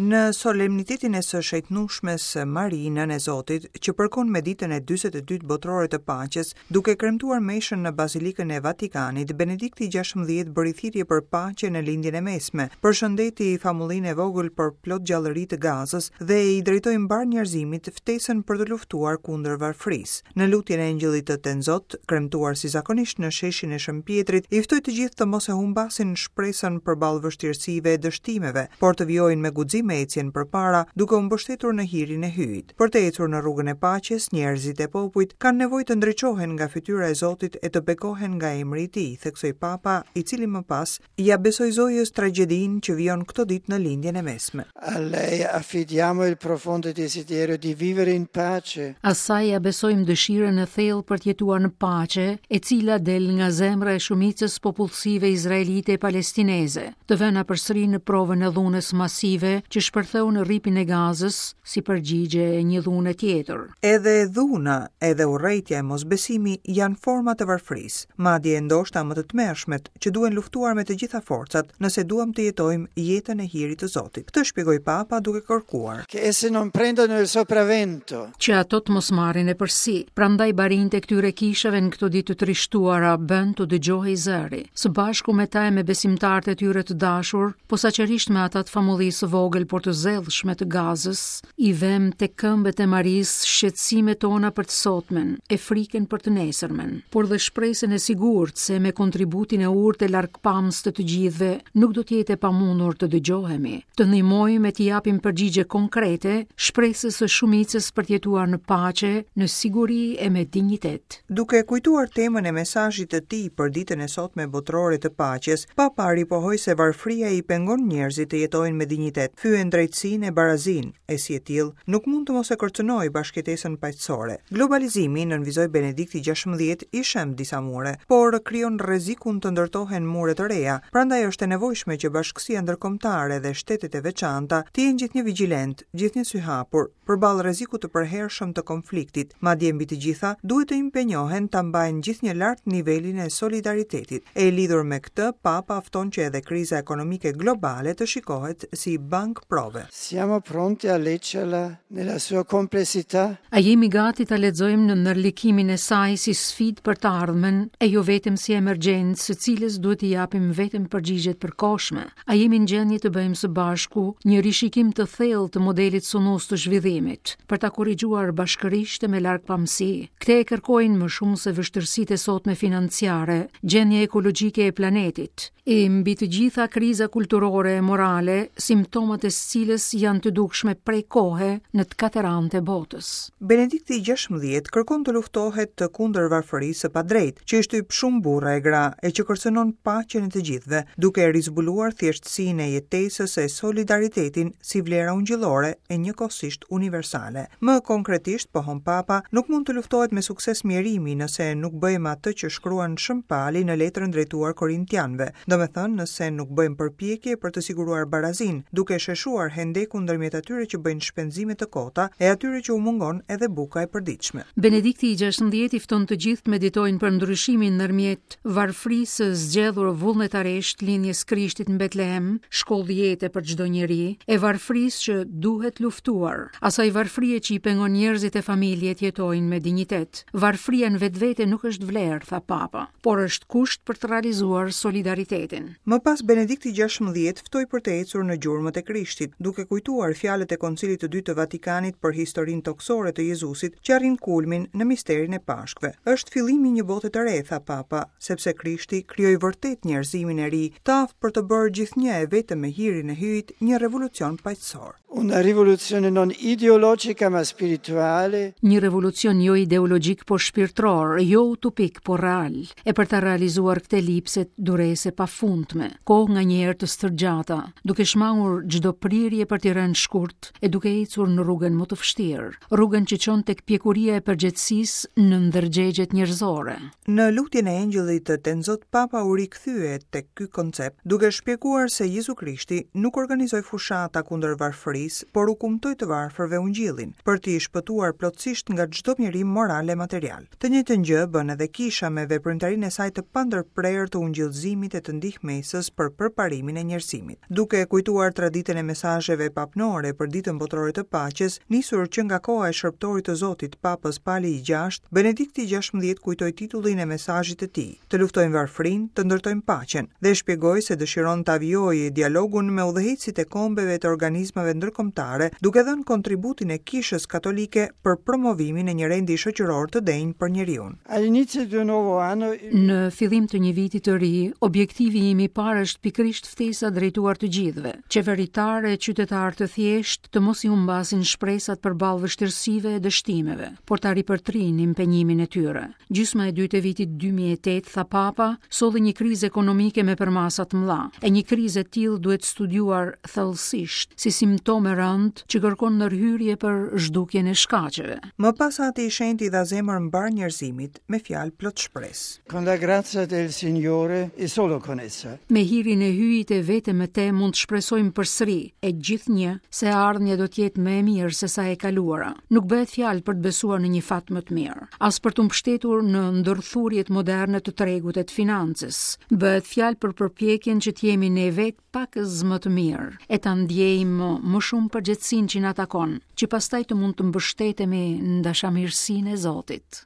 Në solemnitetin e së Shejtnushmes Mari, Nënë e Zotit, që përkon me ditën e 42 botërore të paqes, duke kremtuar meshën në Bazilikën e Vatikanit, Benedikti XVI bëri thirrje për paqe në Lindjen e Mesme, përshëndeti famullinë e vogël por plot gjallëri të Gazës dhe i drejtoi mbarë njerëzimit ftesën për të luftuar kundër varfërisë. Në lutjen e Engjëllit të Tenzot, kremtuar si zakonisht në sheshin e Shën Pjetrit, i ftoi të gjithë të mos e humbasin shpresën përballë vështirësive e dështimeve, por të vijojnë me guxim ecjen përpara, duke u mbështetur në hirin e Hyjit. Për të ecur në rrugën e paqes, njerëzit e popujt kanë nevojë të ndriçohen nga fytyra e Zotit e të bekohen nga emri i Tij, theksoi Papa, i cili më pas ia besoi Zojës tragjedinë që vijon këto ditë në Lindjen e Mesme. A lei affidiamo il profondo desiderio di vivere in pace. Asaj ia besojmë dëshirën e thellë për të jetuar në paqe, e cila del nga zemra e shumicës së popullsive izraelite e palestineze, të vëna përsëri në provën e dhunës masive që shpërtheu në Rripin e Gazës si përgjigje e një dhune tjetër. Edhe dhuna, edhe urrejtja e mosbesimi janë forma të varfërisë, madje ndoshta më të tmerrshmet, që duhen luftuar me të gjitha forcat, nëse duam të jetojmë jetën e hirit të Zotit. Këtë shpjegoi Papa duke kërkuar. Che esse non prendano il sopravvento. Që ato të mos marrin epërsi. Prandaj barinjtë e këtyre kishave në këto ditë të trishtuara bënë t'u dëgjohej zëri. Së bashku me ta e me besimtarët e tyre të dashur, posaçërisht me ata të famullisë së vogël por të zellshme të Gazës, I vëmë tek këmbët e Marisë shqetësimet tona për të sotmen e frikën për të nesërmen, por dhe shpresën e sigurt se me kontributin e urtë e largpamës të të gjithëve nuk do të jetë e pamundur të dëgjohemi, të ndihmojmë e t'i japim përgjigje konkrete shpresës së shumicës për të jetuar në paqe, në siguri e me dinjitet. Duke kujtuar temën e mesazhit të tij për ditën e sotme botërore të paqes, Papa ripohoi se varfëria i pengon njerëzit të jetojnë me dinjitet, fyen drejtësinë e barazinë, e si e tillë, nuk mund të mos e kërcënojë bashkëjetesën paqësore. Globalizimi, nënvizoi Benedikti XVI, i shemb disa mure, por krijon rrezikun të ndërtohen mure të reja, prandaj është e nevojshme që bashkësia ndërkombëtare dhe shtetet e veçanta të jenë gjithnjë vigjilentë, gjithnjë syhapur, përballë rrezikut të përhershëm të konfliktit, madje mbi të gjitha, duhet të impenjohen ta mbajnë gjithnjë lart nivelin e solidaritetit. E lidhur me këtë, Papa fton që edhe kriza ekonomike globale të shikohet si bankë prove. Siamo pronti a leggerla nella sua complessità? A jemi gati ta lexojmë në ndërlikimin e saj si sfidë për të ardhmen, e jo vetëm si emergjencë së cilës duhet t'i japim vetëm përgjigje të përkohshme? A jemi në gjendje të bëjmë së bashku një rishikim të thellë të modelit sunus të zhvillimit, për ta korrigjuar bashkërisht e me largpamësi? Këtë e kërkojnë më shumë se vështirësitë e sotme financiare, gjendja ekologjike e planetit, e mbi të gjitha kriza kulturore e morale, simptomat e së cilës janë të dukshme prej kohe në të katër anët e botës. Benedikti XVI kërkon të luftohet kundër varfërisë së padrejtë, që i shtyp shumë burra e gra e që kërcënon paqen e të gjithëve, duke rizbuluar thjeshtësinë e jetesës e solidaritetin si vlera ungjillore e njëkohësisht universale. Më konkretisht, pohon Papa, nuk mund të luftohet me sukses mjerimi nëse nuk bëjmë atë që shkruan Shën Pali në letrën drejtuar Korintianëve, domethënë nëse nuk bëjmë përpjekje për të siguruar barazinë, duke sheshuar hendekun ndërmjet atyre që bëjnë shpenzime të kota e atyre që u mungon edhe buka e përditshme. Benedikti i XVI i fton të gjithë të meditojnë për ndryshimin ndërmjet varfërisë së zgjedhur vullnetarisht lindjes Krishtit në Betlehem, shkollë jete për çdo njeri, e varfërisë që duhet luftuar, asaj varfërie që i pengon njerëzit e familjet të jetojnë me dinjitet. Varfëria në vetvete nuk është vlerë, tha Papa, por është kusht për të realizuar solidaritetin. Më pas Benedikti XVI ftoi për të ecur në gjurmët e Krishtit, duke kujtuar fjalët e Koncilit të Dytë të Vatikanit për historinë tokësore të Jezusit, që arrin kulmin në misterin e Pashkëve. Është fillimi i një bote të re, tha Papa, sepse Krishti krijoi vërtet njerëzimin e ri, të aftë për të bërë gjithnjë e vetëm me hirin e Hyjit një revolucion paqësor. Una rivoluzione non ideologica ma spirituale. Një revolucion jo ideologjik por shpirtëror, jo utopik por real. E për ta realizuar këtë lipset duresë e pafundme, kohë nganjëherë të stërgjata, duke shmangur çdo prirje për t'i rënë shkurt e duke ecur në rrugën më të vështirë, rrugën që çon tek pjekuria e përgjegjësisë në ndërgjegjet njerëzore. Në lutjen e Engjëllit të Tenzot Papa u rikthye tek ky koncept, duke shpjeguar se Jezu Krishti nuk organizoi fushata kundër varfërisë, por u kumtoi të varfërve Ungjillin, për t'i shpëtuar plotësisht nga çdo mjerim moral e material. Të njëjtën gjë bën edhe Kisha me veprimtarinë e saj të pandërprerë të ungjillëzimit e të. ndihmesës për përparimin e njerëzimit. Duke kujtuar traditën e mesazheve papnore për Ditën Botërore të Paqes, nisur që nga koha e Shërbëtorit të Zotit, Papës Pali i Gjashtë, Benedikti XVI kujtoi titullin e mesazhit të tij, Të luftojmë varfërinë, të ndërtojmë paqen, dhe shpjegoi se dëshiron ta vijojë dialogun me udhëheqësit e kombeve të organizmave ndërkombëtare, duke dhënë kontributin e Kishës Katolike për promovimin e një rendi shoqëror të denjë për njeriun. All'inizio di un nuovo anno Në fillim të një viti të ri, objektivi im i parë është pikërisht ftesa drejtuar të gjithëve, qeveritarë e qytetarë të thjeshtë, të mos i humbasin shpresat përballë vështirësive e dështimeve, por ta ripërtrijnë impenjimin e tyre. Gjysma e dytë e vitit 2008, tha Papa, solli një krizë ekonomike me përmasa të mëdha. E një krizë e tillë duhet studiuar thellësisht, si simptomë e rëndë që kërkon ndërhyrje për zhdukjen e shkaqeve. Më pas Ati i Shenjtë i dha zemër mbarë njerëzimit me fjalë plot shpresë. Con la grazia del Signore e solo con essa. Me hirin e Hyjit e vetëm me te mund të shpresojmë përsëri, e gjithnjë, se e ardhmja do të jetë më e mirë se sa e kaluara. Nuk bëhet fjalë për të besuar në një fat më të mirë, as për t'u mbështetur në ndërthurjet moderne të tregut e të financës. Bëhet fjalë për përpjekjen që të jemi ne vetë pakëz më të mirë, e ta ndjejmë më shumë përgjegjësinë që na takon, që pastaj të mund të mbështetemi në dashamirësinë e Zotit.